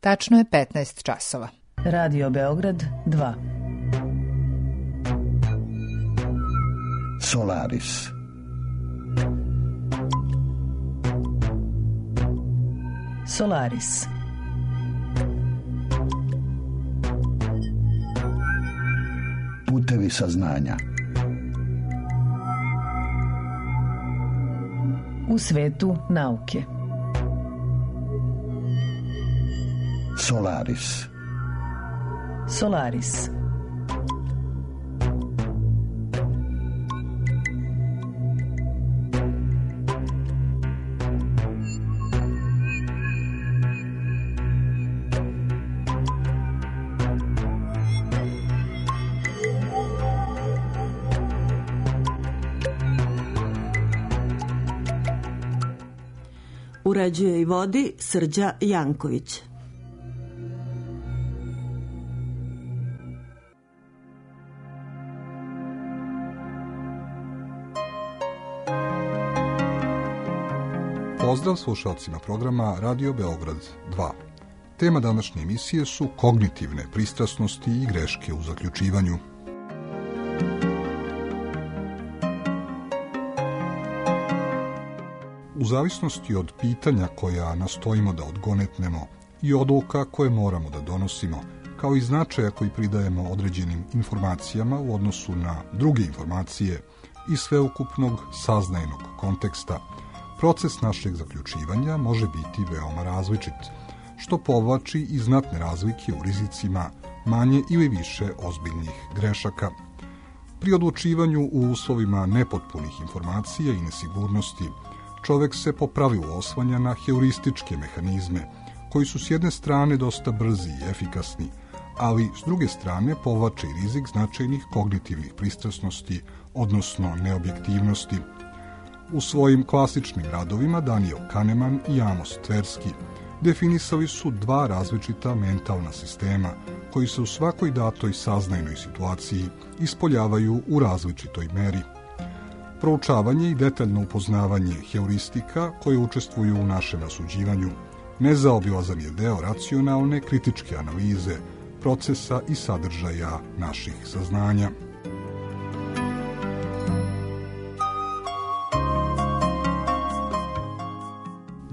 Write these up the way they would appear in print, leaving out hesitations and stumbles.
Tačno je 15 časova. Radio Beograd 2. Solaris. Solaris. Putevi saznanja. U svetu nauke. Solaris. Solaris. Uređuje i vodi Srđa Janković. Pozdrav slušalcima programa Radio Beograd 2. Tema današnje emisije su kognitivne pristrasnosti i greške u zaključivanju. U zavisnosti od pitanja koja nastojimo da odgonetnemo i odluka koje moramo da donosimo, kao i značaja koji pridajemo određenim informacijama u odnosu na druge informacije i sveukupnog saznajnog konteksta, proces našeg zaključivanja može biti veoma različit, što povlači i znatne razlike u rizicima manje ili više ozbiljnih grešaka. Pri odlučivanju u uslovima nepotpunih informacija i nesigurnosti, čovek se po pravilu oslanja na heurističke mehanizme, koji su s jedne strane dosta brzi i efikasni, ali s druge strane povlače i rizik značajnih kognitivnih pristrasnosti, odnosno neobjektivnosti. U svojim klasičnim radovima Daniel Kahneman i Amos Tversky definisali su dva različita mentalna sistema koji se u svakoj datoj saznajnoj situaciji ispoljavaju u različitoj meri. Proučavanje i detaljno upoznavanje heuristika koje učestvuju u našem rasuđivanju nezaobilazan je deo racionalne kritičke analize procesa i sadržaja naših saznanja.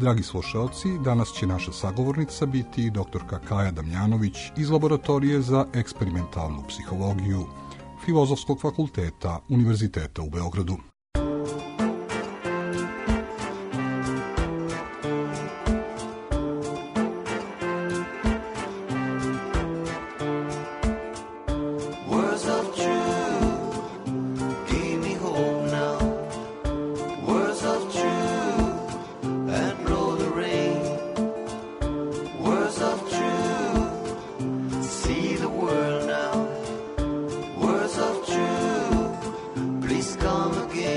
Dragi slušalci, danas će naša sagovornica biti doktorka Kaja Damjanović iz Laboratorije za eksperimentalnu psihologiju Filozofskog fakulteta Univerziteta u Beogradu. Come again.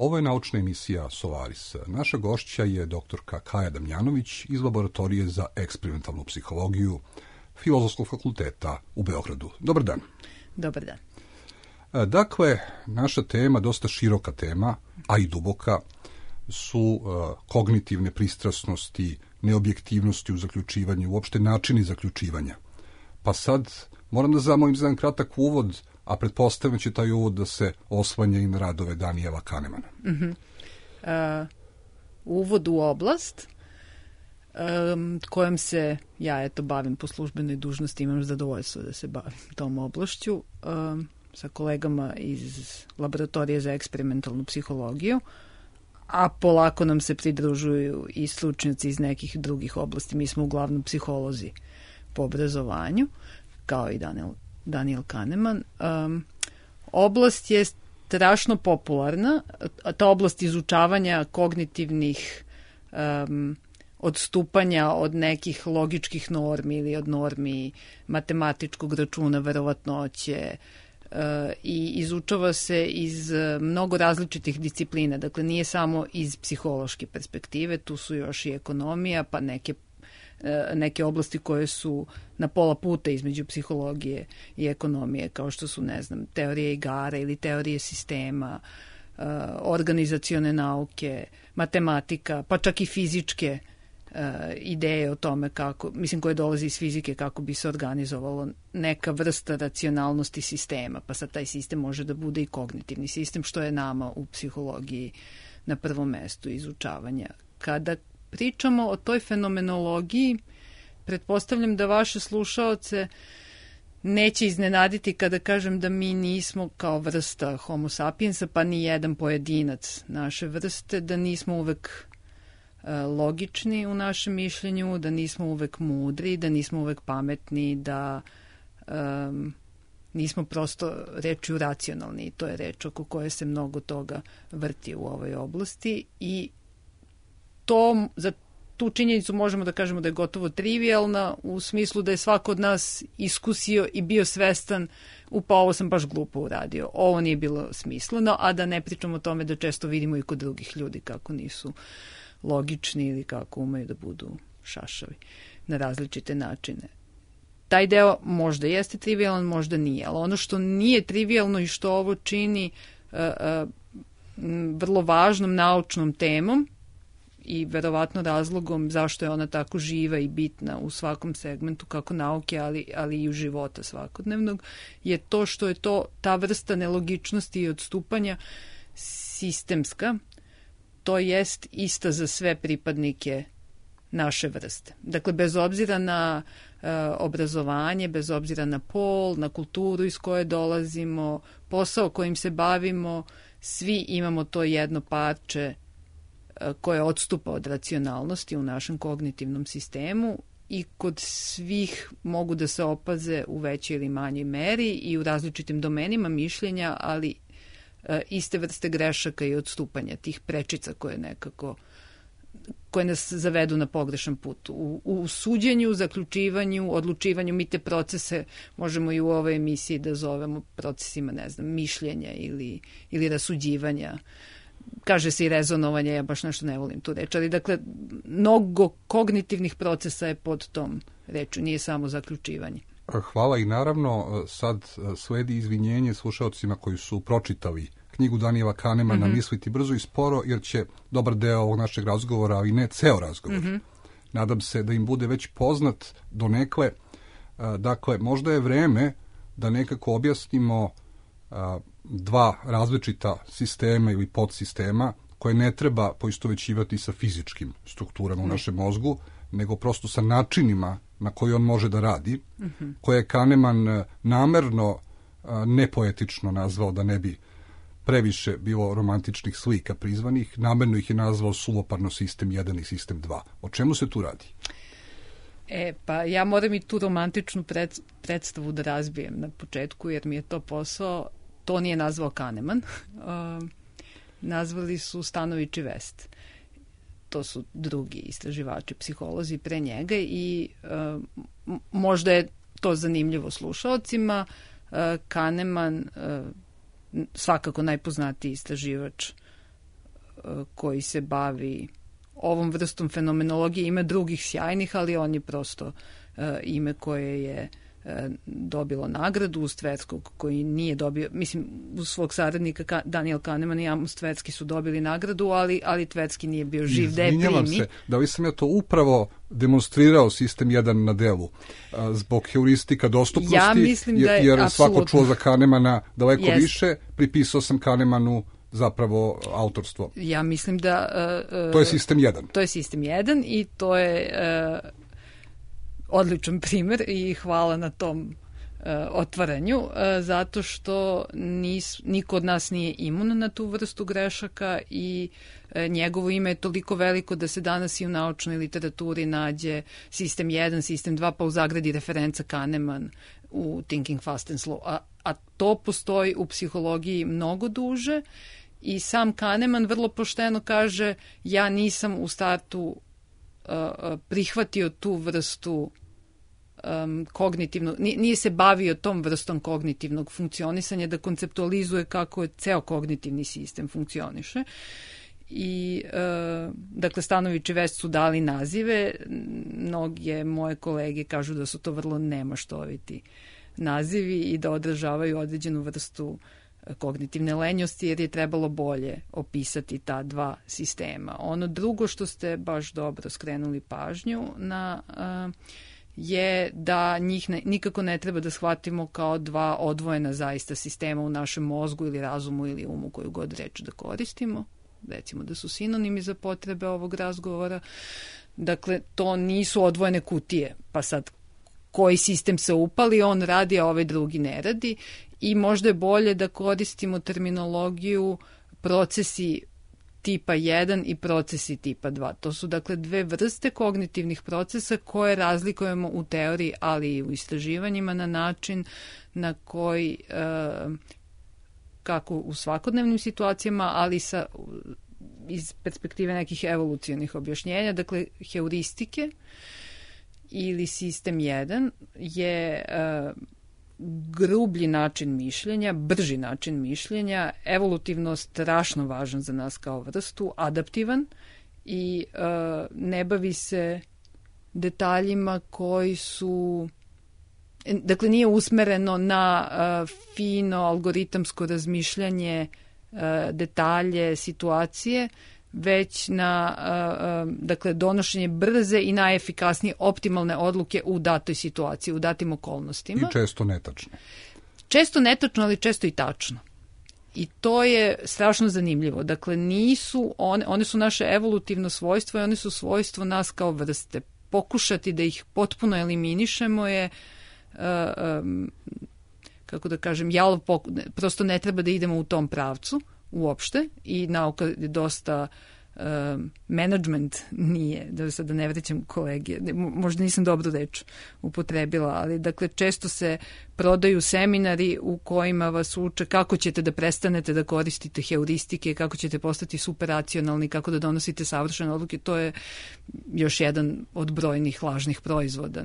Ovo je naučna emisija Solaris. Naša gošća je doktorka Kaja Damjanović iz Laboratorije za eksperimentalnu psihologiju Filozofskog fakulteta u Beogradu. Dobar dan. Dobar dan. Dakle, naša tema, dosta široka tema, a i duboka, su kognitivne pristrasnosti, neobjektivnosti u zaključivanju, uopšte načini zaključivanja. Pa sad moram da zamolim za jedan kratak uvod, a pretpostavljam će taj uvod da se oslanja i na radove Daniela Kahnemana. Uvod u oblast kojom se ja bavim po službenoj dužnosti, imam zadovoljstvo da se bavim tom oblašću sa kolegama iz Laboratorije za eksperimentalnu psihologiju, a polako nam se pridružuju i stručnjaci iz nekih drugih oblasti. Mi smo uglavnom psiholozi po obrazovanju, kao i Daniel Kahneman. Oblast je strašno popularna, ta oblast izučavanja kognitivnih odstupanja od nekih logičkih normi ili od normi matematičkog računa, verovatnoće, i izučava se iz mnogo različitih disciplina. Dakle, nije samo iz psihološke perspektive, tu su još i ekonomija, pa neke oblasti koje su na pola puta između psihologije i ekonomije, kao što su, teorije igara ili teorije sistema, organizacione nauke, matematika, pa čak i fizičke ideje o tome koje dolaze iz fizike, kako bi se organizovalo neka vrsta racionalnosti sistema, pa sad taj sistem može da bude i kognitivni sistem, što je nama u psihologiji na prvom mestu izučavanja. Kada pričamo o toj fenomenologiji, pretpostavljam da vaše slušaoce neće iznenaditi kada kažem da mi nismo kao vrsta homo sapiensa, pa ni jedan pojedinac naše vrste, da nismo uvek logični u našem mišljenju, da nismo uvek mudri, da nismo uvek pametni, da nismo prosto rečju racionalni. To je reč oko koje se mnogo toga vrti u ovoj oblasti i za tu činjenicu možemo da kažemo da je gotovo trivialna, u smislu da je svako od nas iskusio i bio svestan, ovo sam baš glupo uradio, ovo nije bilo smisleno, a da ne pričamo o tome da često vidimo i kod drugih ljudi kako nisu logični ili kako umeju da budu šašavi na različite načine. Taj deo možda jeste trivialan, možda nije, ali ono što nije trivialno i što ovo čini vrlo važnom naučnom temom i verovatno razlogom zašto je ona tako živa i bitna u svakom segmentu, kako nauke, ali i u života svakodnevnog, je to što je ta vrsta nelogičnosti i odstupanja sistemska, to jest ista za sve pripadnike naše vrste. Dakle, bez obzira na obrazovanje, bez obzira na pol, na kulturu iz koje dolazimo, posao kojim se bavimo, svi imamo to jedno parče koje odstupa od racionalnosti u našem kognitivnom sistemu i kod svih mogu da se opaze u većoj ili manjoj meri i u različitim domenima mišljenja, ali iste vrste grešaka i odstupanja, tih prečica koje nas zavedu na pogrešan put. U suđenju, zaključivanju, odlučivanju, mi te procese možemo i u ovoj emisiji da zovemo procesima, mišljenja ili rasuđivanja. Kaže se i rezonovanje, ja baš nešto ne volim tu reč, ali dakle, mnogo kognitivnih procesa je pod tom reču, nije samo zaključivanje. Hvala i naravno sad sledi izvinjenje slušalcima koji su pročitali knjigu Daniela Kahnemana Misliti brzo i sporo, jer će dobar deo ovog našeg razgovora, ali ne ceo razgovor. Nadam se da im bude već poznat donekle. Dakle, možda je vreme da nekako objasnimo dva različita sistema ili podsistema koje ne treba poistovećivati sa fizičkim strukturama u našem mozgu, nego prosto sa načinima na koji on može da radi, koje je Kahneman namerno nepoetično nazvao, da ne bi previše bilo romantičnih slika prizvanih, namerno ih je nazvao suvoparno sistem 1 i sistem 2. O čemu se tu radi? Pa ja moram i tu romantičnu predstavu da razbijem na početku, jer mi je to posao. To nije nazvao Kahneman. Nazvali su Stanović i West. To su drugi istraživači, psiholozi pre njega i možda je to zanimljivo slušalcima. Kahneman, svakako najpoznatiji istraživač koji se bavi ovom vrstom fenomenologije. Ima drugih sjajnih, ali on je prosto ime koje je dobilo nagradu. Uz Tverskog koji nije dobio, mislim, uz svog saradnika Daniel Kahneman i Amos Tversky su dobili nagradu, ali Tversky nije bio živ da je primi. Izvinjavam se, da li sam ja to upravo demonstrirao sistem 1 na delu zbog heuristika dostupnosti, ja mislim da je, jer svako čuo za Kahnemana daleko više, pripisao sam Kahnemanu zapravo autorstvo. Ja mislim da... to je sistem 1. To je sistem 1 i to je odličan primer i hvala na tom otvaranju, zato što niko od nas nije imun na tu vrstu grešaka i njegovo ime je toliko veliko da se danas i u naučnoj literaturi nađe sistem 1, sistem 2, pa u zagradi referenca Kahneman u Thinking Fast and Slow. A to postoji u psihologiji mnogo duže i sam Kahneman vrlo pošteno kaže ja nisam u startu prihvatio tu vrstu kognitivnog, nije se bavio tom vrstom kognitivnog funkcionisanja da konceptualizuje kako je ceo kognitivni sistem funkcioniše. I dakle Stanović i West su dali nazive, mnoge moje kolege kažu da su to vrlo nemaštoviti nazivi i da odražavaju određenu vrstu kognitivne lenjosti jer je trebalo bolje opisati ta dva sistema. Ono drugo što ste baš dobro skrenuli pažnju na je da njih nikako ne treba da shvatimo kao dva odvojena zaista sistema u našem mozgu ili razumu ili umu, koju god reč da koristimo. Recimo da su sinonimi za potrebe ovog razgovora. Dakle, to nisu odvojene kutije, pa sad koji sistem se upali, on radi, a ovaj drugi ne radi i možda je bolje da koristimo terminologiju procesi tipa 1 i procesi tipa 2. To su dakle dve vrste kognitivnih procesa koje razlikujemo u teoriji, ali i u istraživanjima na način na koji kako u svakodnevnim situacijama, ali iz perspektive nekih evolucionih objašnjenja. Dakle, heuristike ili sistem 1 je grublji način mišljenja, brži način mišljenja, evolutivno strašno važan za nas kao vrstu, adaptivan i ne bavi se detaljima koji su, dakle nije usmereno na fino algoritamsko razmišljanje detalje, situacije, već na dakle, donošenje brze i najefikasnije optimalne odluke u datoj situaciji, u datim okolnostima. I često netačno. Često netačno, ali često i tačno. I to je strašno zanimljivo. Dakle, one su naše evolutivno svojstvo i one su svojstvo nas kao vrste. Pokušati da ih potpuno eliminišemo je kako da kažem, prosto ne treba da idemo u tom pravcu uopšte i nauka je dosta management nije, da sada ne vrećam kolege, možda nisam dobru reč upotrebila, ali dakle često se prodaju seminari u kojima vas uče kako ćete da prestanete da koristite heuristike, kako ćete postati superracionalni, kako da donosite savršene odluke. To je još jedan od brojnih lažnih proizvoda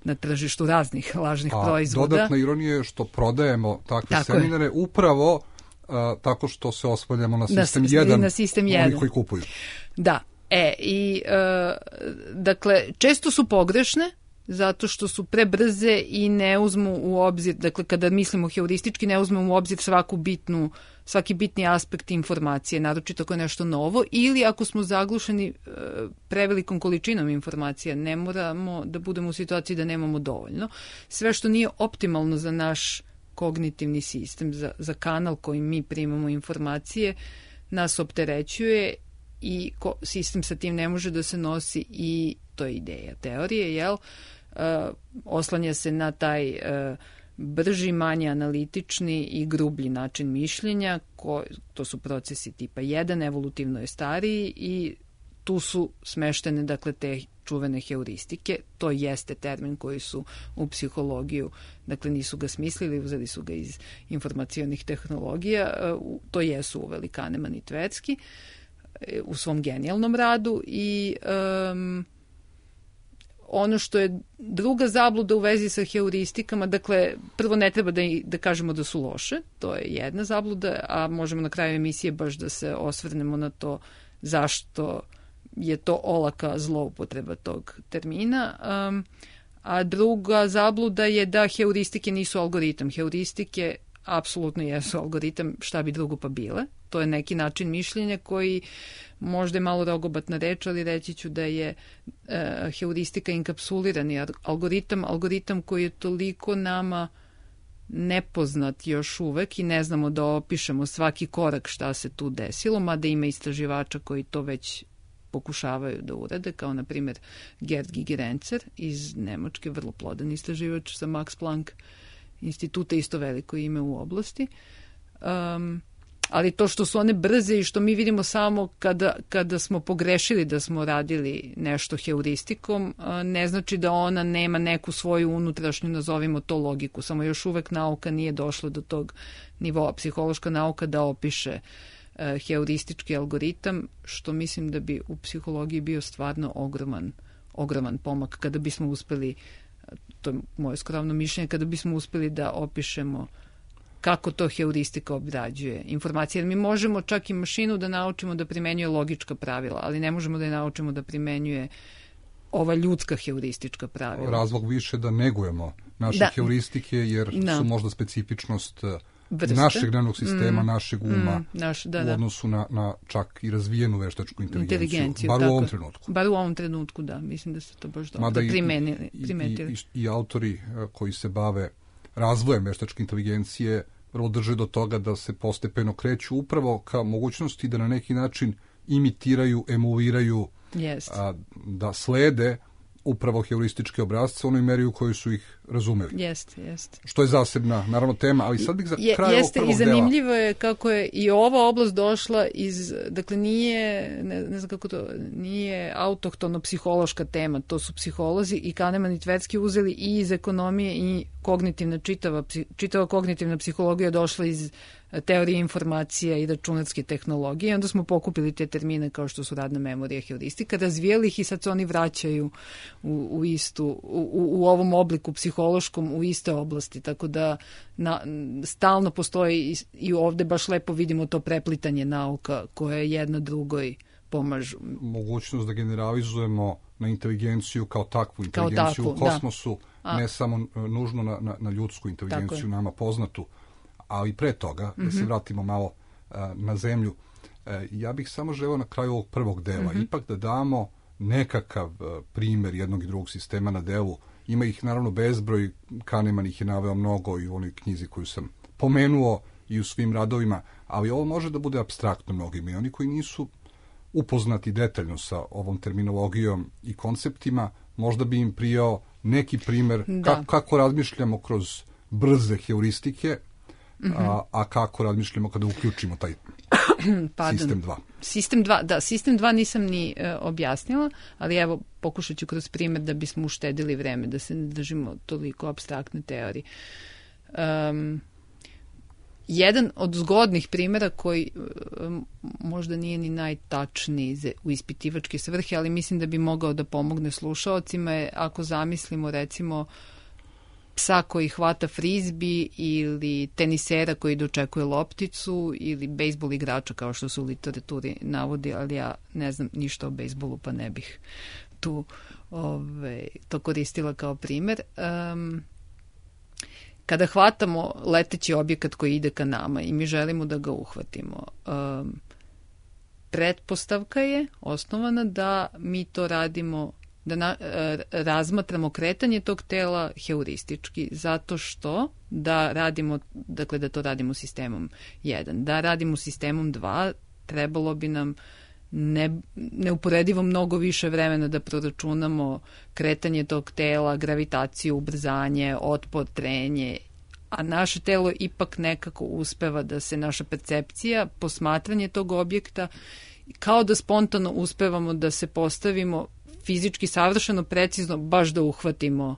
na tržištu, raznih lažnih proizvoda. Dodatna ironija je što prodajemo takve seminare upravo tako što se osvaljamo na sistem 1, na sistem 1. Oni koji kupuju. Da, dakle, često su pogrešne, zato što su prebrze i ne uzmu u obzir, dakle, kada mislimo heuristički, ne uzmemo u obzir svaki bitni aspekt informacije, naročito ako je nešto novo, ili ako smo zaglušeni prevelikom količinom informacija, ne moramo da budemo u situaciji da nemamo dovoljno. Sve što nije optimalno za naš kognitivni sistem, za kanal kojim mi primamo informacije, nas opterećuje i sistem sa tim ne može da se nosi i to je ideja teorije, oslanja se na taj brži, manje analitični i grublji način mišljenja, to su procesi tipa 1, evolutivno je stariji i tu su smeštene dakle te čuvene heuristike. To jeste termin koji su u psihologiju, dakle nisu ga smislili, uzeli su ga iz informacionih tehnologija, to jesu uveli Kahneman i Tversky u svom genijalnom radu i ono što je druga zabluda u vezi sa heuristikama, dakle, prvo ne treba da kažemo da su loše, to je jedna zabluda, a možemo na kraju emisije baš da se osvrnemo na to zašto je to olaka zloupotreba tog termina. A druga zabluda je da heuristike nisu algoritam. Heuristike apsolutno jesu algoritam, šta bi drugo pa bile. To je neki način mišljenja koji možda je malo rogobatna reč, ali reći ću da je heuristika inkapsulirani algoritam koji je toliko nama nepoznat još uvek i ne znamo da opišemo svaki korak šta se tu desilo, mada ima istraživača koji to već pokušavaju da urade, kao na primjer Gerd Gigerenzer iz Nemačke, vrlo plodan istraživač sa Max Planck instituta, isto veliko ime u oblasti. Ali to što su one brze i što mi vidimo samo kada smo pogrešili da smo radili nešto heuristikom, ne znači da ona nema neku svoju unutrašnju, nazovimo to, logiku. Samo još uvek nauka nije došla do tog nivoa, psihološka nauka, da opiše heuristički algoritam, što mislim da bi u psihologiji bio stvarno ogroman pomak kada bismo uspeli, to je moje skromno mišljenje, kada bismo uspeli da opišemo kako to heuristika obrađuje informacije. Jer mi možemo čak i mašinu da naučimo da primenjuje logička pravila, ali ne možemo da je naučimo da primenjuje ova ljudska heuristička pravila. Razlog više da negujemo naše heuristike, jer su možda specifičnost našeg nervnog sistema, našeg uma, u odnosu na čak i razvijenu veštačku inteligenciju. Bar u ovom trenutku. Bar u ovom trenutku, da. Mislim da ste to baš dobro primetili. I autori koji se bave razvojem veštačke inteligencije vrlo drže do toga da se postepeno kreću upravo ka mogućnosti da na neki način imitiraju, emuliraju, da slede upravo heurističke obrazce u onoj meri u kojoj su ih razumeli. Jeste. Što je zasebna, naravno, tema, ali sad bih za kraj ovog prvog dela. I zanimljivo je kako je i ova oblast došla iz, dakle nije, ne znam kako to, nije autohtono psihološka tema, to su psiholozi i Kahneman i Tversky uzeli i iz ekonomije i kognitivna, čitava kognitivna psihologija došla iz teorije informacija i računarske tehnologije. Onda smo pokupili te termine kao što su radna memorija, heuristika, razvijeli ih i sad se oni vraćaju u ovom obliku psihološkom u iste oblasti. Tako da stalno postoji i ovde baš lepo vidimo to preplitanje nauka koje jedna drugoj pomažu. Mogućnost da generalizujemo na inteligenciju kao takvu inteligenciju u kosmosu, ne samo nužno na ljudsku inteligenciju, nama poznatu, ali pre toga, da se vratimo malo na zemlju, ja bih samo želeo na kraju ovog prvog dela ipak da damo nekakav primer jednog i drugog sistema na delu. Ima ih naravno bezbroj, Kahneman ih je naveo mnogo i u onoj knjizi koju sam pomenuo i u svim radovima, ali ovo može da bude apstraktno mnogima i oni koji nisu upoznati detaljno sa ovom terminologijom i konceptima, možda bi im prijao neki primer kako razmišljamo kroz brze heuristike, a kako razmišljamo kada uključimo taj sistem 2. Sistem 2 nisam ni objasnila, ali evo pokušat ću kroz primjer da bismo uštedili vreme, da se ne držimo toliko apstraktne teorije. Jedan od zgodnih primjera koji možda nije ni najtačniji u ispitivačke svrhe, ali mislim da bi mogao da pomogne slušaocima je ako zamislimo recimo psa koji hvata frizbi ili tenisera koji dočekuje lopticu ili bejsbol igrača kao što se u literaturi navodi, ali ja ne znam ništa o bejsbolu pa ne bih to koristila kao primjer. Kada hvatamo leteći objekat koji ide ka nama i mi želimo da ga uhvatimo, pretpostavka je osnovana da mi to radimo, da razmatramo kretanje tog tela heuristički, zato što da to radimo sistemom 1. Da radimo sistemom 2, trebalo bi nam neuporedivo mnogo više vremena da proračunamo kretanje tog tela, gravitaciju, ubrzanje, otpor, trenje, a naše telo ipak nekako uspeva da se naša percepcija, posmatranje tog objekta, kao da spontano uspevamo da se postavimo fizički savršeno precizno, baš da uhvatimo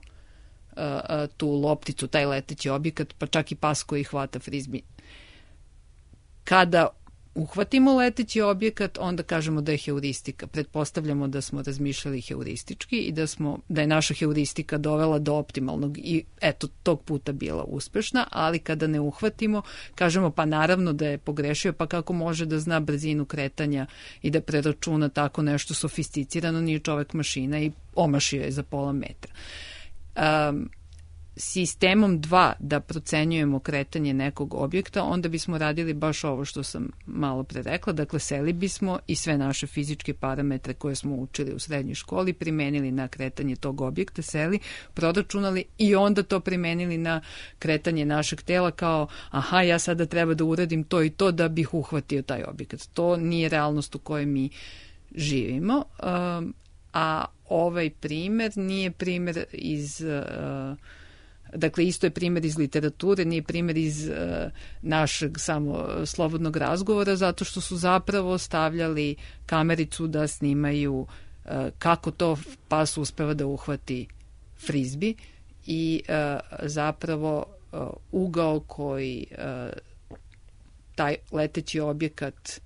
tu lopticu, taj leteći objekat, pa čak i pas koji hvata frizbi. Kada uhvatimo leteći objekat, onda kažemo da je heuristika. Pretpostavljamo da smo razmišljali heuristički i da je naša heuristika dovela do optimalnog i eto, tog puta bila uspešna, ali kada ne uhvatimo, kažemo pa naravno da je pogrešio, pa kako može da zna brzinu kretanja i da preračuna tako nešto sofisticirano, nije čovek mašina i omašio je za pola metra. Sistemom 2 da procenjujemo kretanje nekog objekta, onda bismo radili baš ovo što sam malo pre rekla, dakle seli bismo i sve naše fizičke parametre koje smo učili u srednjoj školi primenili na kretanje tog objekta, seli, proračunali i onda to primenili na kretanje našeg tela kao aha, ja sada treba da uradim to i to da bih uhvatio taj objekat. To nije realnost u kojoj mi živimo, a ovaj primer nije primer iz... Dakle, isto je primjer iz literature, nije primjer iz našeg samo slobodnog razgovora, zato što su zapravo stavljali kamericu da snimaju kako to pas uspeva da uhvati frizbi i zapravo ugao koji taj leteći objekat,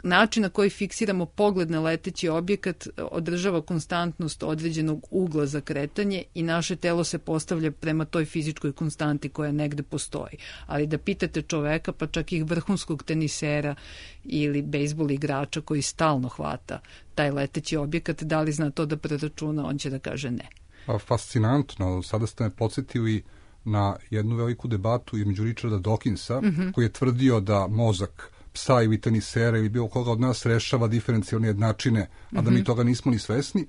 način na koji fiksiramo pogled na leteći objekat održava konstantnost određenog ugla za kretanje i naše telo se postavlja prema toj fizičkoj konstanti koja negde postoji. Ali da pitate čoveka, pa čak i vrhunskog tenisera ili bejsbol igrača koji stalno hvata taj leteći objekat, da li zna to da preračuna, on će da kaže ne. Fascinantno. Sada ste me podsjetili na jednu veliku debatu između Richarda Dawkinsa, koji je tvrdio da mozak psa ili tenisera ili bilo koga od nas rešava diferencijalne jednačine, a da mi toga nismo ni svesni.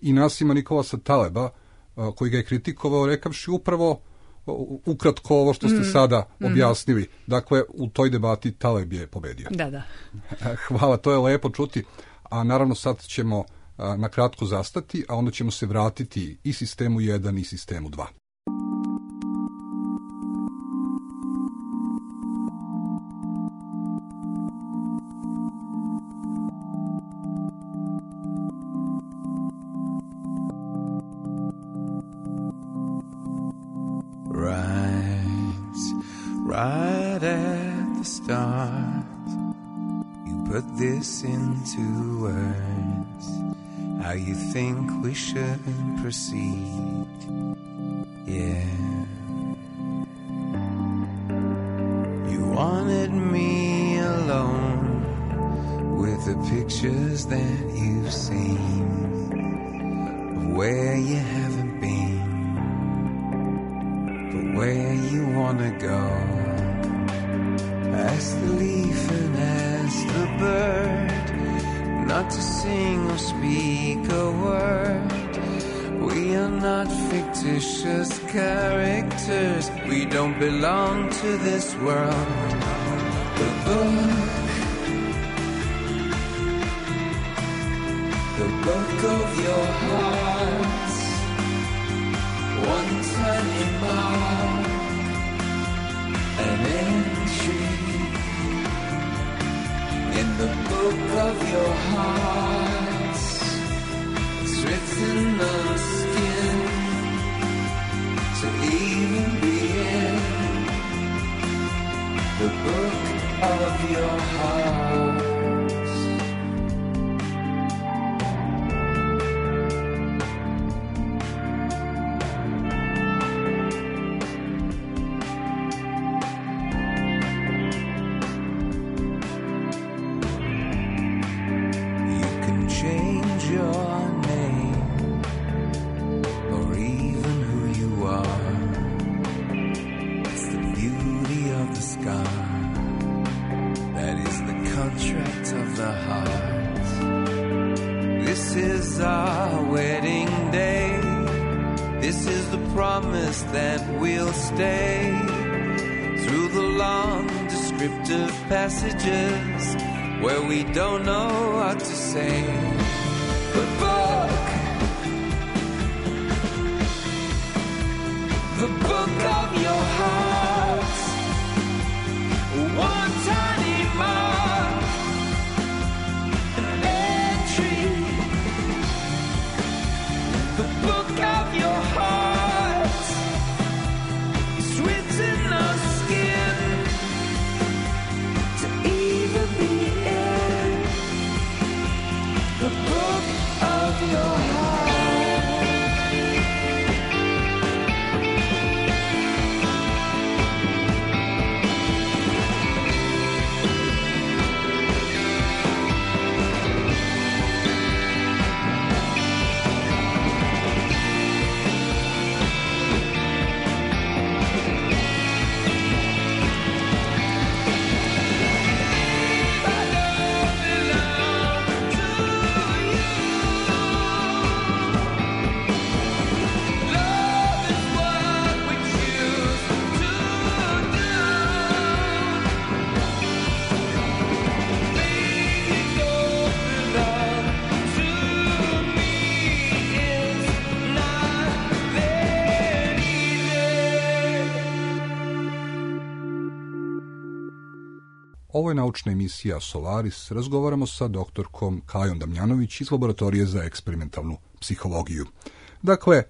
I Nasima Nikolasa Taleba, koji ga je kritikovao rekavši upravo ukratko ovo što ste sada objasnili. Dakle, u toj debati Taleb je pobedio. Da. Hvala, to je lepo čuti. A naravno sad ćemo na kratko zastati, a onda ćemo se vratiti i sistemu 1 i sistemu 2. Right at the start, you put this into words, how you think we should proceed, yeah. You wanted me alone with the pictures that you've seen of where you haven't been, but where you wanna go. Ask the leaf and ask the bird not to sing or speak a word. We are not fictitious characters. We don't belong to this world. The book of your hearts, one tiny mark, an entry in the book of your hearts. It's written on skin to even begin. The book of your hearts. Passages where we don't know what to say. The book of your heart, one tiny mark, an entry. The book of your heart is written on skin. Ovo je naučna emisija Solaris. Razgovaramo sa doktorkom Kajom Damjanović iz Laboratorije za eksperimentalnu psihologiju. Dakle,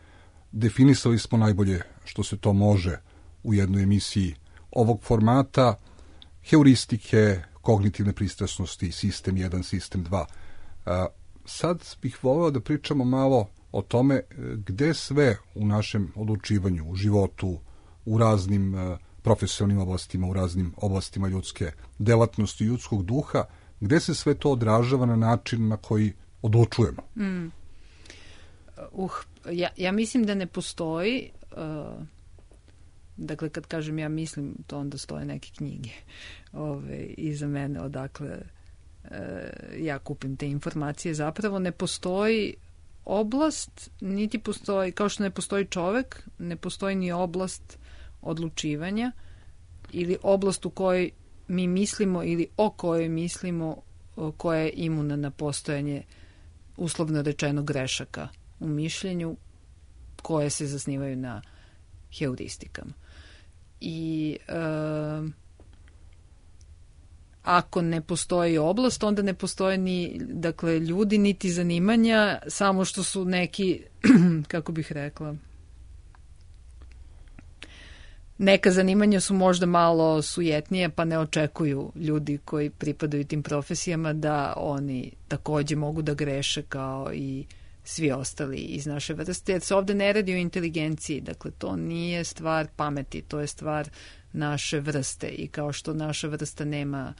definisali smo najbolje što se to može u jednoj emisiji ovog formata, heuristike, kognitivne pristrasnosti, sistem 1, sistem 2. Sad bih voleo da pričamo malo o tome gde sve u našem odlučivanju, u životu, u raznim profesionalnim oblastima, u raznim oblastima ljudske delatnosti, ljudskog duha, gde se sve to odražava na način na koji odlučujemo? Ja mislim da ne postoji, dakle kad kažem ja mislim, to onda stoje neke knjige iza mene, odakle ja kupim te informacije. Zapravo ne postoji oblast, niti postoji, kao što ne postoji čovek, ne postoji ni oblast odlučivanja ili oblast u kojoj mi mislimo ili o kojoj mislimo koja je imuna na postojanje uslovno rečeno grešaka u mišljenju koje se zasnivaju na heuristikama. I ako ne postoji oblast, onda ne postoje ni ljudi, niti zanimanja, samo što su neki, kako bih rekla, neka zanimanja su možda malo sujetnije, pa ne očekuju ljudi koji pripadaju tim profesijama da oni takođe mogu da greše kao i svi ostali iz naše vrste, jer se ovde ne radi o inteligenciji, dakle to nije stvar pameti, to je stvar naše vrste i kao što naša vrsta nema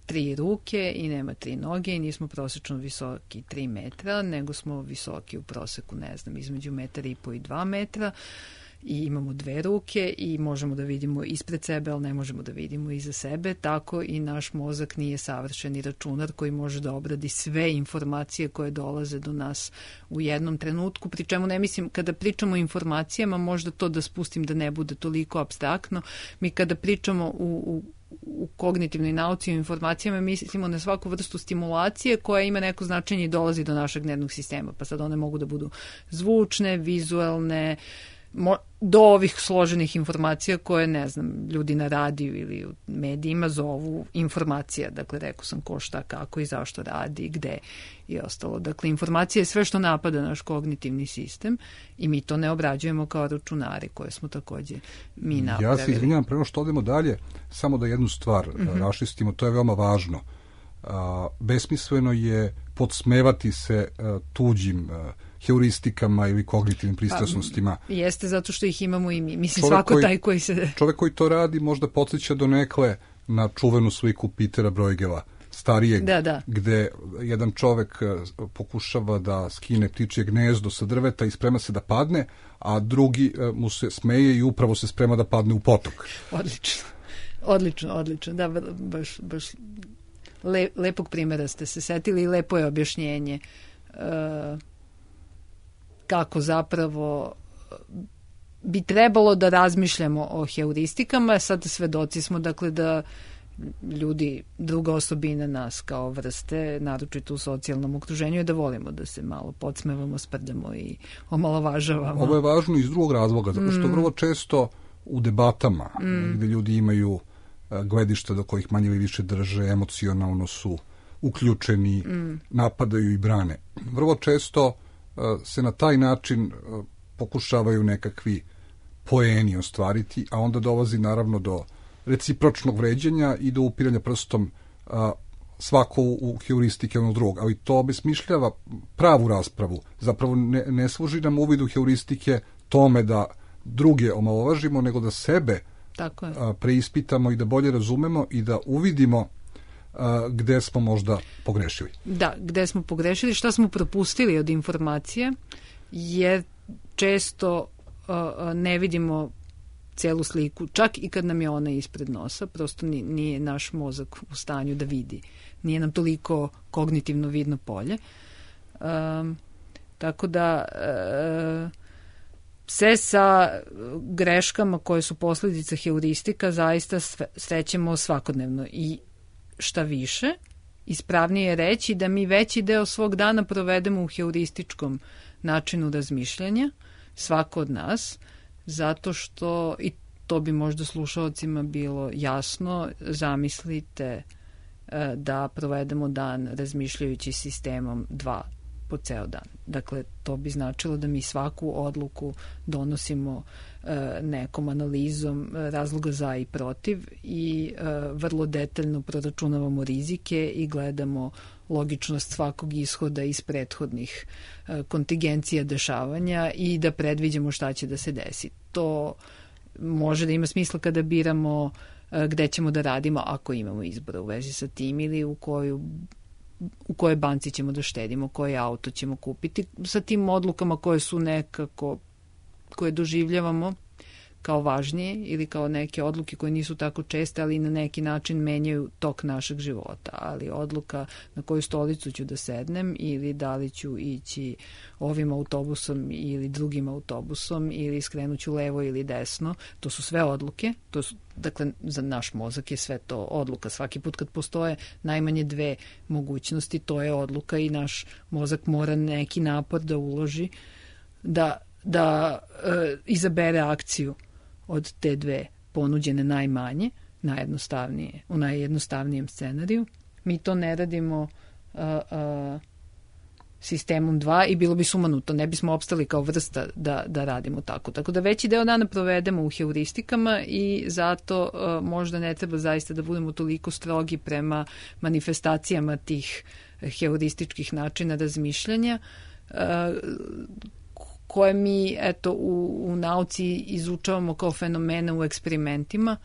3 ruke i nema 3 noge i nismo prosečno visoki 3 metra, nego smo visoki u proseku, ne znam, između 1,5 i 2 metra i imamo 2 ruke i možemo da vidimo ispred sebe, ali ne možemo da vidimo iza sebe, tako i naš mozak nije savršeni računar koji može da obradi sve informacije koje dolaze do nas u jednom trenutku, pri čemu ne mislim, kada pričamo o informacijama, možda to da spustim da ne bude toliko apstraktno, mi kada pričamo u kognitivnoj nauci o informacijama mislimo na svaku vrstu stimulacije koja ima neko značenje i dolazi do našeg nervnog sistema, pa sad one mogu da budu zvučne, vizuelne, do ovih složenih informacija koje, ne znam, ljudi na radiju ili u medijima zovu informacija. Dakle, rekao sam ko, šta, kako i zašto radi, gde i ostalo. Dakle, informacija je sve što napada naš kognitivni sistem i mi to ne obrađujemo kao računari koje smo takođe mi napravili. Ja se izvinjam, prema što odemo dalje, samo da jednu stvar raščistimo, to je veoma važno. Besmisleno je podsmevati se tuđim heuristikama ili kognitivnim pristrasnostima. Jeste, zato što ih imamo i mi. Mislim, svako taj koji se... Čovek koji to radi možda podsjeća donekle na čuvenu sliku Petera Bruegela, starijeg, gde jedan čovek pokušava da skine ptičje gnezdo sa drveta i sprema se da padne, a drugi mu se smeje i upravo se sprema da padne u potok. Odlično. Da, baš lepog primjera ste se setili i lepo je objašnjenje kako zapravo bi trebalo da razmišljamo o heuristikama. Sad svedoci smo, dakle, da ljudi, druga osobina nas kao vrste, naročito u socijalnom okruženju, je da volimo da se malo podsmevamo, sprdamo i omalovažavamo. Ovo je važno iz drugog razloga, zato što vrlo često u debatama gde ljudi imaju gledišta do kojih manje ili više drže, emocionalno su uključeni, napadaju i brane. Vrlo često se na taj način pokušavaju nekakvi poeni ostvariti, a onda dolazi naravno do recipročnog vređanja i do upiranja prstom svako u heuristike onog drugog, ali to obesmišljava pravu raspravu. Zapravo ne služi nam uvid u heuristike tome da druge omalovažimo, nego da sebe preispitamo i da bolje razumemo i da uvidimo gde smo možda pogrešili. Da, gde smo pogrešili, šta smo propustili od informacije, jer često ne vidimo celu sliku, čak i kad nam je ona ispred nosa, prosto nije naš mozak u stanju da vidi. Nije nam toliko kognitivno vidno polje. Tako da sve sa greškama koje su posledica heuristika zaista srećemo svakodnevno i šta više, ispravnije je reći da mi veći deo svog dana provedemo u heurističkom načinu razmišljanja, svako od nas, zato što, i to bi možda slušalcima bilo jasno, zamislite da provedemo dan razmišljajući sistemom 2 po ceo dan. Dakle, to bi značilo da mi svaku odluku donosimo nekom analizom razloga za i protiv i vrlo detaljno proračunavamo rizike i gledamo logičnost svakog ishoda iz prethodnih kontingencija dešavanja i da predviđamo šta će da se desi. To može da ima smisla kada biramo gde ćemo da radimo ako imamo izbora u vezi sa tim ili u kojoj banci ćemo da štedimo, koje auto ćemo kupiti, sa tim odlukama koje su nekako, koje doživljavamo kao važnije ili kao neke odluke koje nisu tako česte, ali na neki način menjaju tok našeg života. Ali odluka na koju stolicu ću da sednem ili da li ću ići ovim autobusom ili drugim autobusom ili skrenuću levo ili desno, to su sve odluke. Dakle, za naš mozak je sve to odluka. Svaki put kad postoje najmanje 2 mogućnosti, to je odluka i naš mozak mora neki napor da uloži da izabere akciju od te 2 ponuđene najmanje, najjednostavnije, u najjednostavnijem scenariju. Mi to ne radimo sistemom 2 i bilo bi sumanuto, ne bismo opstali kao vrsta da radimo tako. Tako da veći deo dana provedemo u heuristikama i zato možda ne treba zaista da budemo toliko strogi prema manifestacijama tih heurističkih načina razmišljanja, koje mi u nauci izučavamo kao fenomene u eksperimentima,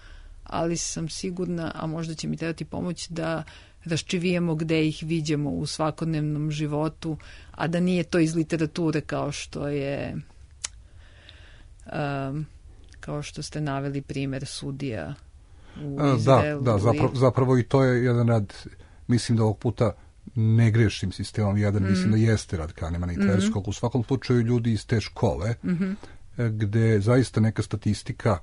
ali sam sigurna, a možda će mi trebati pomoć da raščivijemo gde ih viđamo u svakodnevnom životu, a da nije to iz literature kao što je kao što ste naveli primer sudija u Izraelu. Da, zapravo i to je jedan rad, mislim da ovog puta ne grešim sistemom, mislim da jeste rad Kahnemana i Tverskog. U svakom slučaju ljudi iz te škole, gde zaista neka statistika,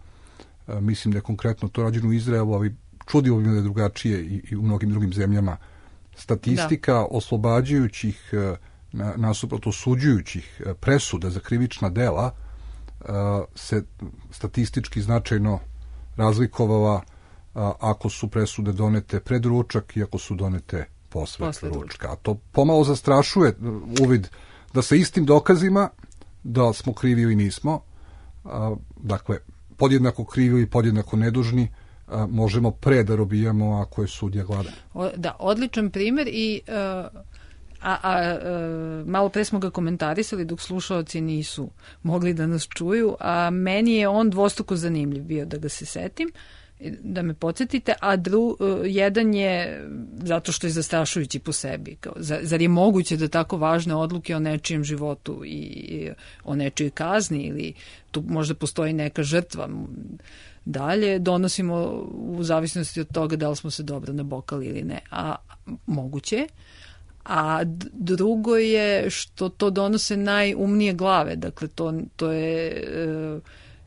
mislim da je konkretno to rađeno u Izraelu, ali čudilo bi me da je drugačije i u mnogim drugim zemljama, statistika oslobađajućih, nasuprot osuđujućih presuda za krivična dela se statistički značajno razlikovala ako su presude donete pred ručak i ako su donete posle ručka. A to pomalo zastrašuje uvid da sa istim dokazima da smo krivi ili nismo, dakle, podjednako krivi i podjednako nedužni, možemo pre da robijamo ako je sudija gladan. Da, odličan primer i malo pre smo ga komentarisali dok slušaoci nisu mogli da nas čuju, a meni je on dvostruko zanimljiv bio da ga se setim, da me podsjetite, a jedan je zato što je zastrašujući po sebi. Zar je moguće da tako važne odluke o nečijem životu i o nečijoj kazni ili tu možda postoji neka žrtva dalje, donosimo u zavisnosti od toga da li smo se dobro nabokali ili ne. A moguće. A drugo je što to donose najumnije glave. Dakle, to je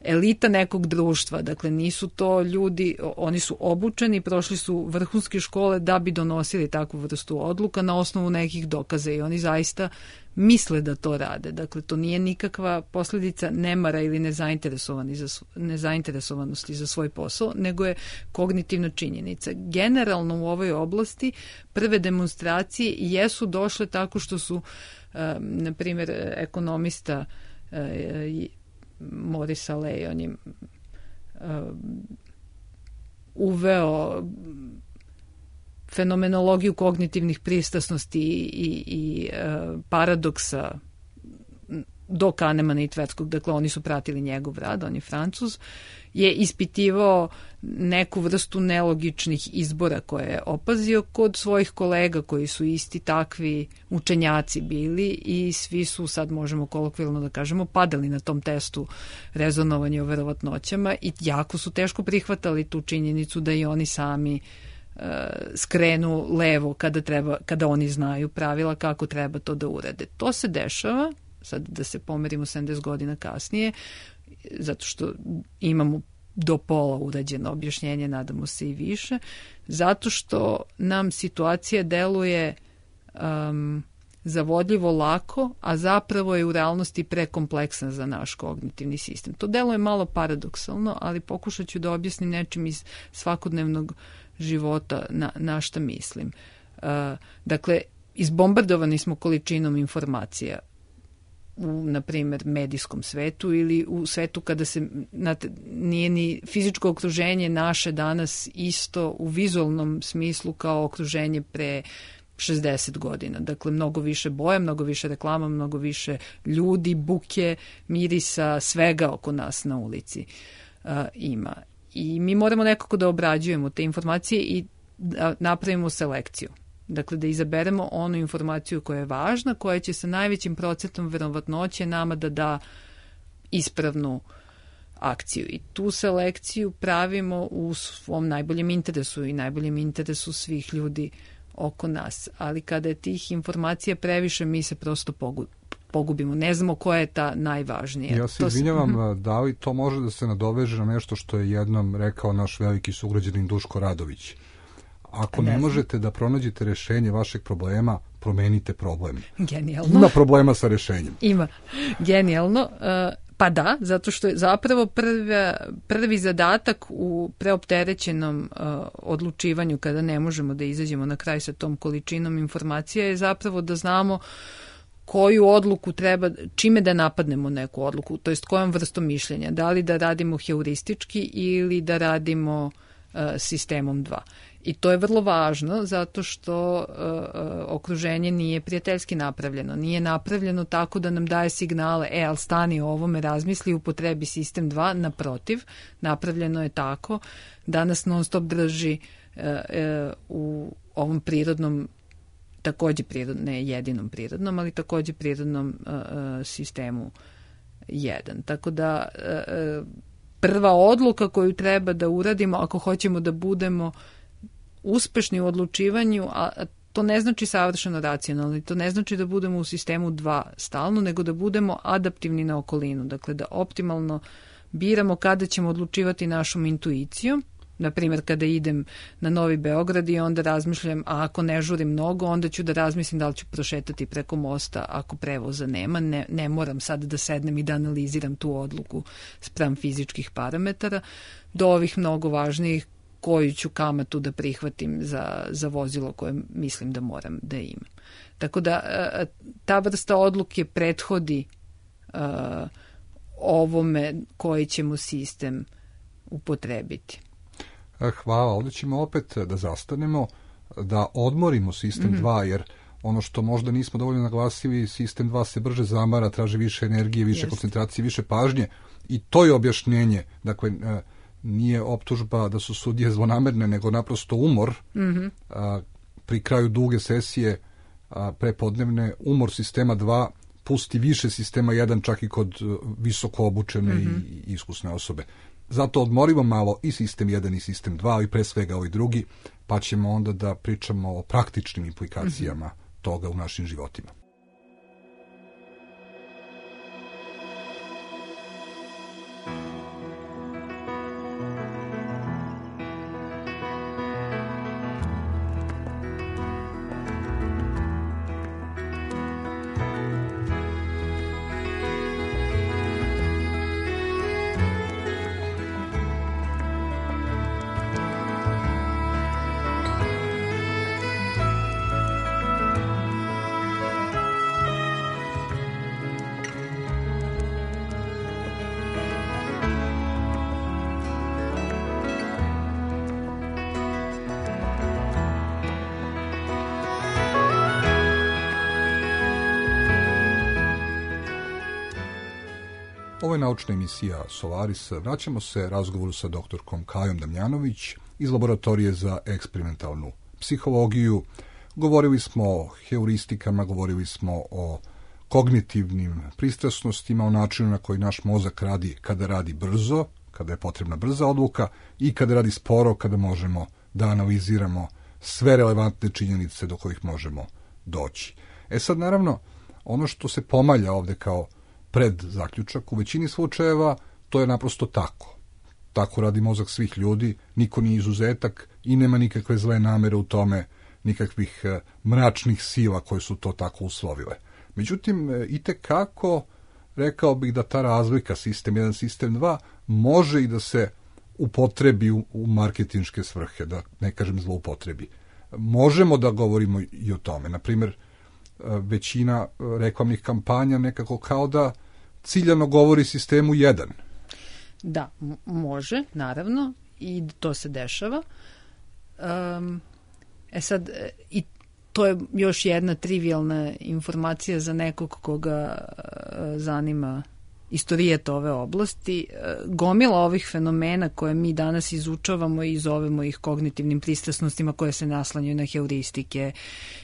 elita nekog društva. Dakle, nisu to ljudi, oni su obučeni, prošli su vrhunske škole da bi donosili takvu vrstu odluka na osnovu nekih dokaza i oni zaista misle da to rade. Dakle, to nije nikakva posledica nemara ili nezainteresovanosti za svoj posao, nego je kognitivna činjenica. Generalno u ovoj oblasti prve demonstracije jesu došle tako što su, na primjer, ekonomista Maurice Allais, on je uveo fenomenologiju kognitivnih pristrasnosti i paradoksa do Kahnemana i Tverskog, dakle oni su pratili njegov rad, on je Francuz, je ispitivao neku vrstu nelogičnih izbora koje je opazio kod svojih kolega koji su isti takvi učenjaci bili i svi su, sad možemo kolokvijalno da kažemo, padali na tom testu rezonovanja o verovatnoćama i jako su teško prihvatali tu činjenicu da i oni sami skrenu levo kada oni znaju pravila kako treba to da urade. To se dešava, sad da se pomerimo 70 godina kasnije, zato što imamo do pola urađeno objašnjenje, nadamo se i više, zato što nam situacija deluje zavodljivo lako, a zapravo je u realnosti prekompleksna za naš kognitivni sistem. To deluje malo paradoksalno, ali pokušat ću da objasnim nečim iz svakodnevnog života na šta mislim. Dakle, izbombardovani smo količinom informacija u, na primjer, medijskom svetu ili u svetu kada se, nije ni fizičko okruženje naše danas isto u vizualnom smislu kao okruženje pre 60 godina. Dakle, mnogo više boja, mnogo više reklama, mnogo više ljudi, buke, mirisa, svega oko nas na ulici ima. I mi moramo nekako da obrađujemo te informacije i da napravimo selekciju. Dakle, da izaberemo onu informaciju koja je važna, koja će sa najvećim procentom verovatnoće nama da da ispravnu akciju. I tu selekciju pravimo u svom najboljem interesu i najboljem interesu svih ljudi oko nas. Ali kada je tih informacija previše, mi se prosto pogubimo. Ne znamo koja je ta najvažnija. Ja se izvinjavam, da li to može da se nadoveže na nešto što je jednom rekao naš veliki sugrađanin Duško Radović? Ako ne možete da pronađete rešenje vašeg problema, promenite problem. Genijalno. Ima problema sa rešenjem. Ima. Genijalno. Pa da, zato što je zapravo prvi zadatak u preopterećenom odlučivanju kada ne možemo da izađemo na kraj sa tom količinom informacija je zapravo da znamo koju odluku treba, čime da napadnemo neku odluku, to jest kojom vrstom mišljenja. Da li da radimo heuristički ili da radimo sistemom 2. I to je vrlo važno zato što okruženje nije prijateljski napravljeno. Nije napravljeno tako da nam daje signale, ali stani o ovome, razmisli, upotrebi sistem 2. Naprotiv, napravljeno je tako da nas non stop drži u ovom prirodnom, takođe prirodnom, ne jedinom prirodnom, ali takođe prirodnom sistemu 1. Tako da prva odluka koju treba da uradimo ako hoćemo da budemo uspešni u odlučivanju, a to ne znači savršeno racionalno, to ne znači da budemo u sistemu 2 stalno, nego da budemo adaptivni na okolinu, dakle da optimalno biramo kada ćemo odlučivati našom intuicijom. Na primjer, kada idem na Novi Beograd i onda razmišljam, a ako ne žurim mnogo, onda ću da razmislim da li ću prošetati preko mosta ako prevoza nema. Ne moram sad da sednem i da analiziram tu odluku spram fizičkih parametara, do ovih mnogo važnijih koju ću kamatu da prihvatim za vozilo koje mislim da moram da imam. Tako da ta vrsta odluke prethodi ovome koji ćemo sistem upotrebiti. Hvala, ovdje ćemo opet da zastanemo, da odmorimo sistem 2, jer ono što možda nismo dovoljno naglasili, sistem 2 se brže zamara, traži više energije, više koncentracije, više pažnje i to je objašnjenje. Dakle, nije optužba da su sudije zlonamerne, nego naprosto umor pri kraju duge sesije prepodnevne, umor sistema 2 pusti više sistema 1 čak i kod visoko obučene i iskusne osobe. Zato odmorimo malo i sistem 1 i sistem 2, ali pre svega ovaj drugi, pa ćemo onda da pričamo o praktičnim implikacijama toga u našim životima. Ovo je naučna emisija Solaris. Vraćamo se razgovoru sa doktorkom Kajom Damjanović iz Laboratorije za eksperimentalnu psihologiju. Govorili smo o heuristikama, govorili smo o kognitivnim pristrasnostima, o načinu na koji naš mozak radi kada radi brzo, kada je potrebna brza odluka, i kada radi sporo, kada možemo da analiziramo sve relevantne činjenice do kojih možemo doći. Sad, naravno, ono što se pomalja ovde kao pred zaključak, u većini slučajeva to je naprosto tako. Tako radi mozak svih ljudi, niko nije izuzetak i nema nikakve zle namere u tome, nikakvih mračnih sila koje su to tako uslovile. Međutim, itekako rekao bih da ta razlika sistem 1, sistem 2 može i da se upotrebi u marketinške svrhe, da ne kažem zloupotrebi. Možemo da govorimo i o tome. Naprimjer, većina reklamnih kampanja nekako kao da ciljano govori sistemu 1. Da, može, naravno, i to se dešava. Sad, i to je još jedna trivialna informacija za nekog koga zanima istorijet ove oblasti. Gomila ovih fenomena koje mi danas izučavamo i zovemo ih kognitivnim pristrasnostima koje se naslanjaju na heuristike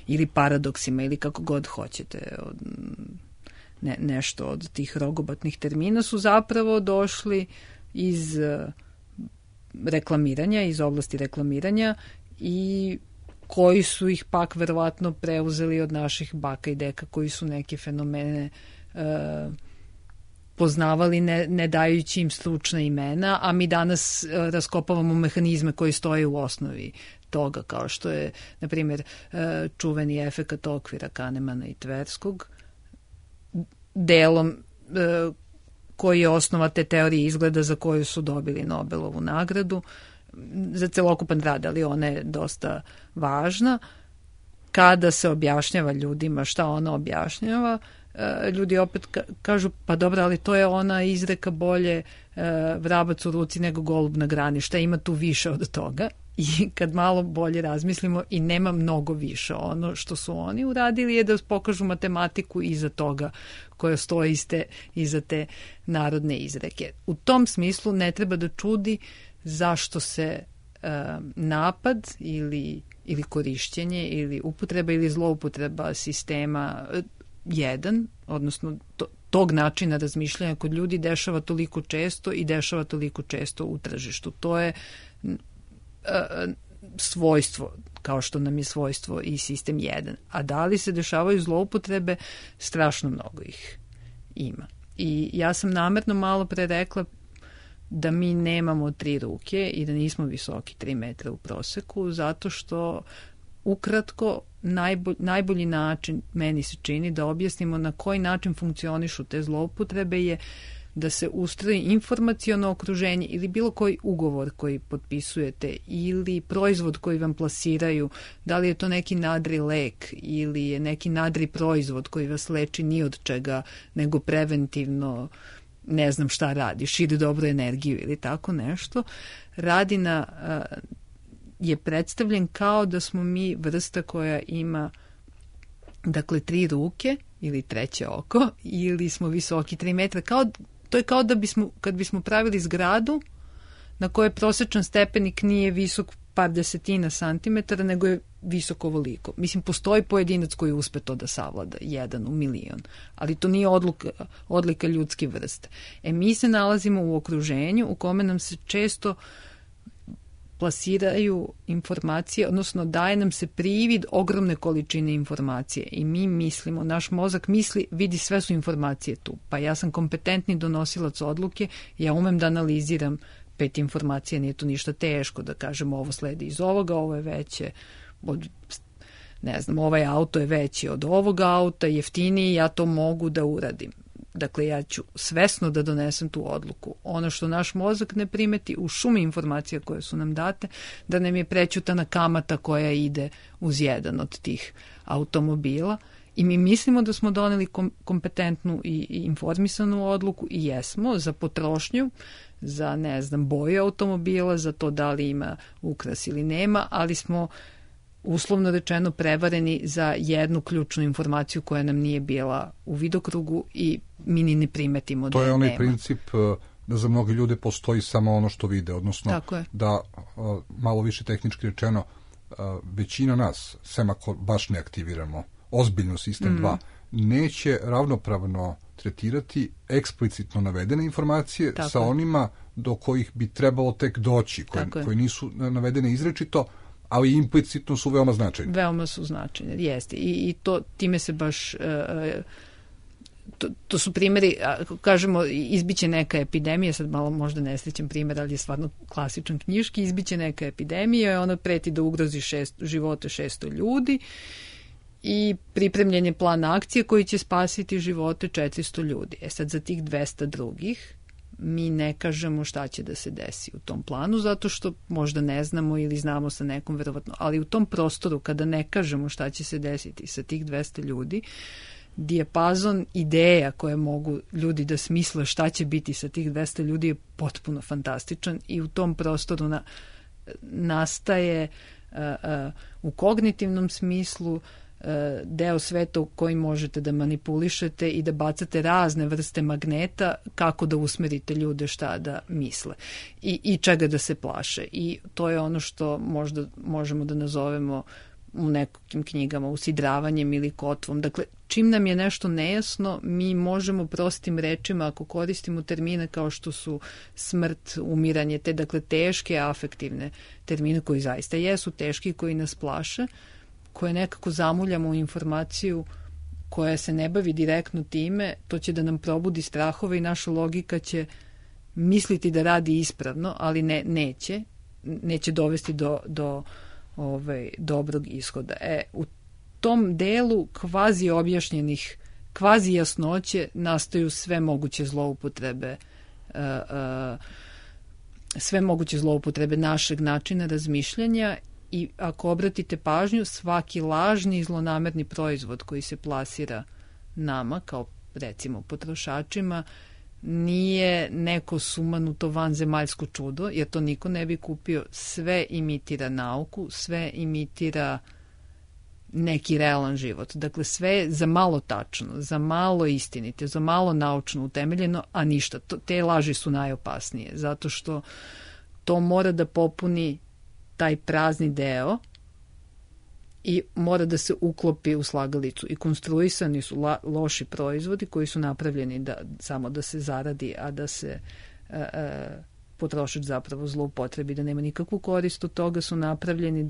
ili paradoksima ili kako god hoćete, nešto od tih rogobatnih termina su zapravo došli iz reklamiranja, iz oblasti reklamiranja, i koji su ih pak verovatno preuzeli od naših baka i deka koji su neke fenomene poznavali ne dajući im stručna imena, a mi danas raskopavamo mehanizme koji stoje u osnovi toga, kao što je, na primjer, čuveni efekat okvira Kahnemana i Tverskog, delom koji je osnova te teorije izgleda za koju su dobili Nobelovu nagradu za celokupan rad, ali ona je dosta važna. Kada se objašnjava ljudima šta ona objašnjava, ljudi opet kažu, pa dobro, ali to je ona izreka bolje vrabac u ruci nego golub na grani, šta ima tu više od toga? I kad malo bolje razmislimo, i nema mnogo više. Ono što su oni uradili je da pokažu matematiku iza toga koja stoji iza te narodne izreke. U tom smislu ne treba da čudi zašto se napad ili korišćenje ili upotreba ili zloupotreba sistema 1, odnosno tog načina razmišljanja kod ljudi dešava toliko često i dešava toliko često u tržištu. To je svojstvo, kao što nam je svojstvo i sistem 1. A da li se dešavaju zloupotrebe? Strašno mnogo ih ima. I ja sam namerno malo pre rekla da mi nemamo 3 ruke i da nismo visoki 3 metra u proseku, zato što ukratko najbolji način, meni se čini, da objasnimo na koji način funkcionišu te zloupotrebe je da se ustroji informaciono okruženje ili bilo koji ugovor koji potpisujete ili proizvod koji vam plasiraju, da li je to neki nadri lek ili je neki nadri proizvod koji vas leči ni od čega, nego preventivno ne znam šta radi, širi dobru energiju ili tako nešto, je predstavljen kao da smo mi vrsta koja ima, dakle, 3 ruke ili 3 oko, ili smo visoki 3 metra. To je kao da kad bismo pravili zgradu na kojoj prosječan stepenik nije visok par desetina santimetara, nego je visoko ovoliko. Mislim, postoji pojedinac koji uspe to da savlada, 1 u milion, ali to nije odlika ljudske vrste. Mi se nalazimo u okruženju u kome nam se često plasiraju informacije, odnosno daje nam se privid ogromne količine informacije i mi mislimo, naš mozak misli, vidi, sve su informacije tu, pa ja sam kompetentni donosilac odluke, ja umem da analiziram 5 informacija, nije to ništa teško da kažem ovo sledi iz ovoga, ovo je veće od, ne znam, ovaj auto je veći od ovoga auta, jeftiniji, ja to mogu da uradim. Dakle, ja ću svesno da donesem tu odluku. Ono što naš mozak ne primeti u šumi informacija koje su nam date, da nam je prećutana kamata koja ide uz jedan od tih automobila i mi mislimo da smo doneli kompetentnu i informisanu odluku i jesmo za potrošnju, za, ne znam, boju automobila, za to da li ima ukras ili nema, ali smo uslovno rečeno prevareni za jednu ključnu informaciju koja nam nije bila u vidokrugu i mi ni ne primetimo da to je onaj nema. princip da za mnoge ljude postoji samo ono što vide, odnosno da, malo više tehnički rečeno, većina nas, sem ako baš ne aktiviramo ozbiljno sistem 2, neće ravnopravno tretirati eksplicitno navedene informacije sa onima do kojih bi trebalo tek doći, koje nisu navedene izrečito, ali implicitno su veoma značajne. Veoma su značajne, jeste. I to, time se baš... To su primjeri, kažemo, izbiće neka epidemija, sad malo možda nesrećan primjer, ali je stvarno klasičan knjiški, izbiće neka epidemija, ona preti da ugrozi živote 600 ljudi i pripremljen je plan akcije koji će spasiti živote 400 ljudi. Sad za tih 200 drugih mi ne kažemo šta će da se desi u tom planu, zato što možda ne znamo ili znamo sa nekom verovatno, ali u tom prostoru kada ne kažemo šta će se desiti sa tih 200 ljudi, dijapazon ideja koje mogu ljudi da smisle šta će biti sa tih 200 ljudi je potpuno fantastičan i u tom prostoru nastaje u kognitivnom smislu deo sveta u koji možete da manipulišete i da bacate razne vrste magneta kako da usmerite ljude šta da misle i čega da se plaše. I to je ono što možda možemo da nazovemo u nekim knjigama usidravanjem ili kotvom. Dakle, čim nam je nešto nejasno, mi možemo prostim rečima, ako koristimo termine kao što su smrt, umiranje, te dakle teške afektivne termine koji zaista jesu teški i koji nas plaše, koje nekako zamuljamo u informaciju koja se ne bavi direktno time, to će da nam probudi strahove i naša logika će misliti da radi ispravno, ali neće dovesti do dobrog ishoda. U tom delu kvazi objašnjenih, kvazi jasnoće nastaju sve moguće zloupotrebe našeg načina razmišljanja i ako obratite pažnju, svaki lažni i zlonamerni proizvod koji se plasira nama, kao recimo potrošačima, nije neko sumanuto vanzemaljsko čudo, jer to niko ne bi kupio. Sve imitira nauku, sve imitira neki realan život. Dakle, sve je za malo tačno, za malo istinite, za malo naučno utemeljeno, a ništa. Te laži su najopasnije, zato što to mora da popuni taj prazni deo i mora da se uklopi u slagalicu. I konstruisani su loši proizvodi koji su napravljeni samo da se zaradi, a da se potrošač zapravo zloupotrebi, da nema nikakvu korist od toga, su napravljeni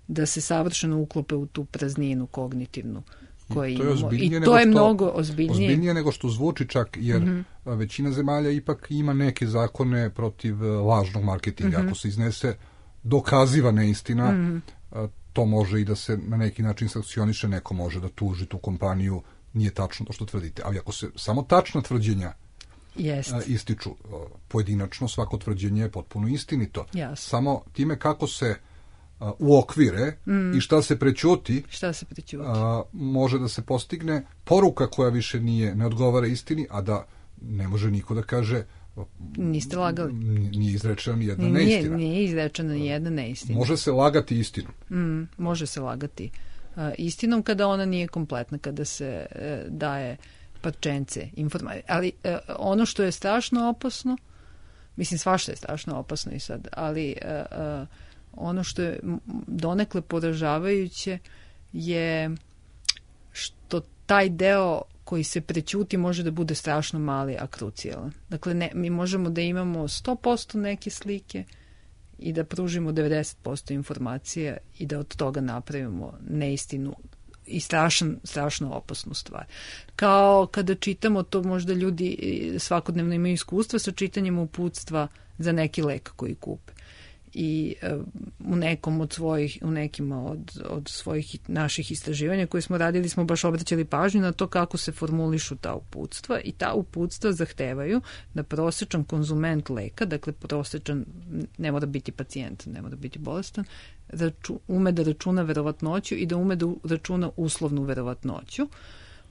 da se savršeno uklope u tu prazninu kognitivnu koju imamo. I to je mnogo ozbiljnije nego što zvuči čak, jer većina zemalja ipak ima neke zakone protiv lažnog marketinga. Ako se iznese dokaziva neistina, to može i da se na neki način sankcioniše, neko može da tuži tu kompaniju, nije tačno to što tvrdite. Ali ako se samo tačna tvrđenja ističu pojedinačno, svako tvrđenje je potpuno istinito. Samo time kako se uokvire i šta se prećuti, može da se postigne poruka koja više ne odgovara istini, a da ne može niko da kaže niste lagali. Nije izrečena ni jedna neistina. Nije izrečena ni jedna neistina. Može se lagati istinom. Može se lagati istinom kada ona nije kompletna, kada se daje parčence informacije. Ali ono što je strašno opasno, mislim svašta je strašno opasno i sad, ali ono što je donekle poražavajuće je što taj deo koji se prećuti može da bude strašno mali, a krucijalan. Dakle, mi možemo da imamo 100% neke slike i da pružimo 90% informacija i da od toga napravimo neistinu i strašno opasnu stvar. Kao kada čitamo, to možda ljudi svakodnevno imaju iskustva sa čitanjem uputstva za neki lek koji kupe. I u nekima od svojih naših istraživanja koje smo radili smo baš obraćali pažnju na to kako se formulišu ta uputstva i ta uputstva zahtevaju da prosečan konzument leka, dakle prosečan, ne mora biti pacijent, ne mora biti bolestan, ume da računa verovatnoću i da ume da računa uslovnu verovatnoću,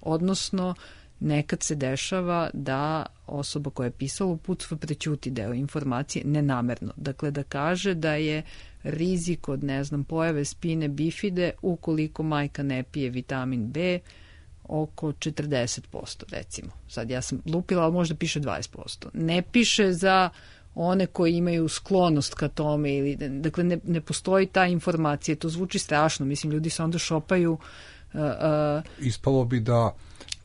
odnosno nekad se dešava da osoba koja je pisala uputstvo prećuti deo informacije nenamerno. Dakle, da kaže da je rizik od, pojave spine bifide ukoliko majka ne pije vitamin B, oko 40%, recimo. Sad ja sam lupila, ali možda piše 20%. Ne piše za one koji imaju sklonost ka tome, ili, dakle ne postoji ta informacija. To zvuči strašno, mislim, ljudi se onda šopaju. Ispalo bi da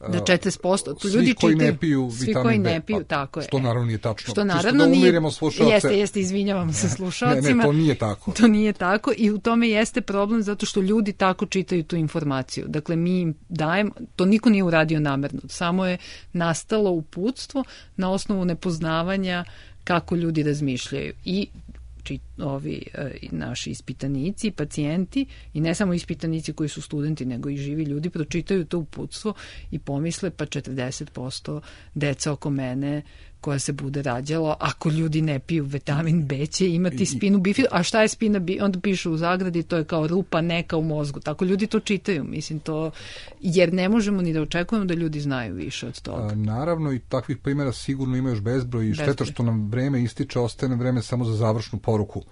40%. Tu svi ljudi koji čitaju, ne piju svi vitamin koji B, ne piju, tako je. Što naravno nije tačno. Što naravno nije. Umiremo slušalce. Jeste, izvinjavam se slušalcima. Ne, to nije tako. To nije tako i u tome jeste problem zato što ljudi tako čitaju tu informaciju. Dakle, mi im dajemo, to niko nije uradio namerno, samo je nastalo uputstvo na osnovu nepoznavanja kako ljudi razmišljaju i ovi naši ispitanici, pacijenti i ne samo ispitanici koji su studenti, nego i živi ljudi pročitaju to uputstvo i pomisle pa 40% deca oko mene koja se bude rađala, ako ljudi ne piju vitamin B će imati spinu bifidu. A šta je spina bifida? Onda piše u zagradi, to je kao rupa neka u mozgu. Tako ljudi to čitaju, mislim to, jer ne možemo ni da očekujemo da ljudi znaju više od toga. Naravno i takvih primjera sigurno ima još bezbroj i šteta što nam vreme ističe, ostaje nam vreme samo za završnu poruku.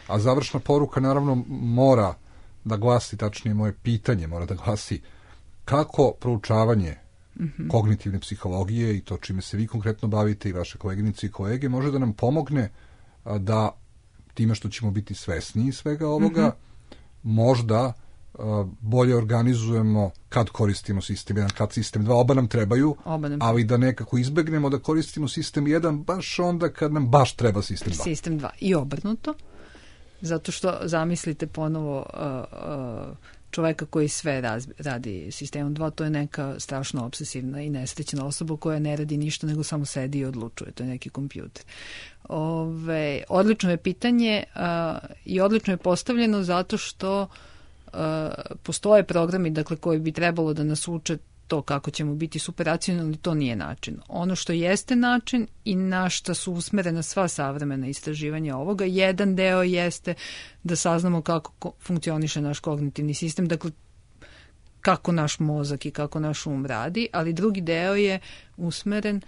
A završna poruka naravno mora da glasi, tačnije moje pitanje mora da glasi kako proučavanje kognitivne psihologije i to čime se vi konkretno bavite i vaše koleginice i kolege može da nam pomogne da time što ćemo biti svesniji svega ovoga možda bolje organizujemo kad koristimo sistem 1, kad sistem 2, oba nam trebaju, ali da nekako izbegnemo da koristimo sistem 1 baš onda kad nam baš treba sistem 2. Sistem 2 i obrnuto, zato što zamislite ponovo čoveka koji sve radi sistemom 2, to je neka strašno obsesivna i nesrećna osoba koja ne radi ništa nego samo sedi i odlučuje, to je neki kompjuter. Odlično je pitanje i odlično je postavljeno zato što postoje programi, dakle, koji bi trebalo da nas uče to kako ćemo biti superracionalni, to nije način. Ono što jeste način i na šta su usmerena sva savremena istraživanja ovoga, jedan deo jeste da saznamo kako funkcioniše naš kognitivni sistem, dakle kako naš mozak i kako naš radi, ali drugi deo je usmeren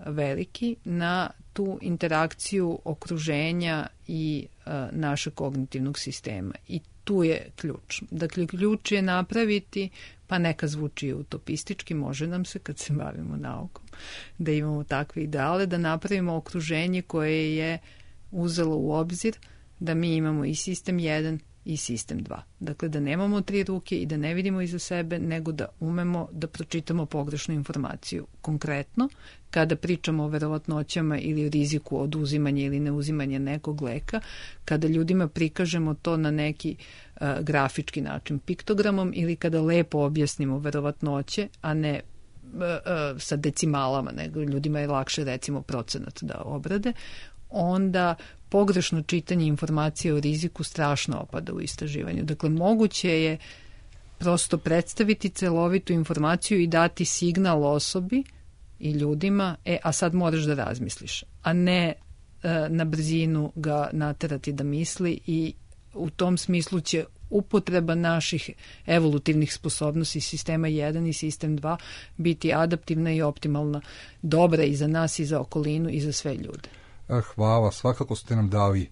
veliki na tu interakciju okruženja i našeg kognitivnog sistema. I tu je ključ. Dakle, ključ je napraviti, pa neka zvuči utopistički, može nam se kad se bavimo naukom, da imamo takve ideale, da napravimo okruženje koje je uzelo u obzir da mi imamo i sistem 1 i sistem 2. Dakle, da nemamo 3 ruke i da ne vidimo iza sebe, nego da umemo da pročitamo pogrešnu informaciju. Konkretno, kada pričamo o verovatnoćama ili o riziku od uzimanja ili neuzimanja nekog leka, kada ljudima prikažemo to na neki grafički način, piktogramom, ili kada lepo objasnimo verovatnoće, a ne sa decimalama, nego ljudima je lakše recimo procenat da obrade, onda pogrešno čitanje informacije o riziku strašno opada u istraživanju. Dakle, moguće je prosto predstaviti celovitu informaciju i dati signal osobi i ljudima, a sad moraš da razmisliš, a ne na brzinu ga naterati da misli, i u tom smislu će upotreba naših evolutivnih sposobnosti sistema 1 i sistem 2 biti adaptivna i optimalna, dobra i za nas i za okolinu i za sve ljude. Hvala, svakako ste nam dali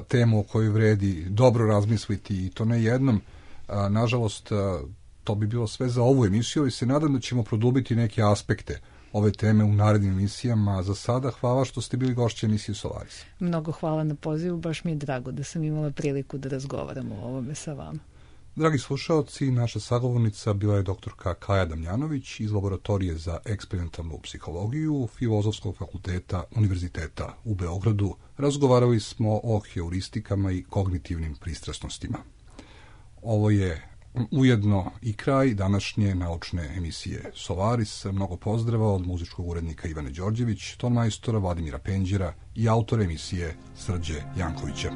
temu o kojoj vredi dobro razmisliti i to ne jednom. Nažalost, to bi bilo sve za ovu emisiju i se nadam da ćemo produbiti neke aspekte ove teme u narednim emisijama. Za sada hvala što ste bili gošće emisije Solaris. Mnogo hvala na pozivu, baš mi je drago da sam imala priliku da razgovaramo o ovome sa vama. Dragi slušaoci, naša sagovornica bila je doktorka Kaja Damjanović iz Laboratorije za eksperimentalnu psihologiju Filozofskog fakulteta Univerziteta u Beogradu. Razgovarali smo o heuristikama i kognitivnim pristrasnostima. Ovo je ujedno i kraj današnje naučne emisije Solaris. Mnogo pozdrava od muzičkog urednika Ivane Đorđević, ton majstora Vladimira Penđera i autora emisije Srđe Jankovića.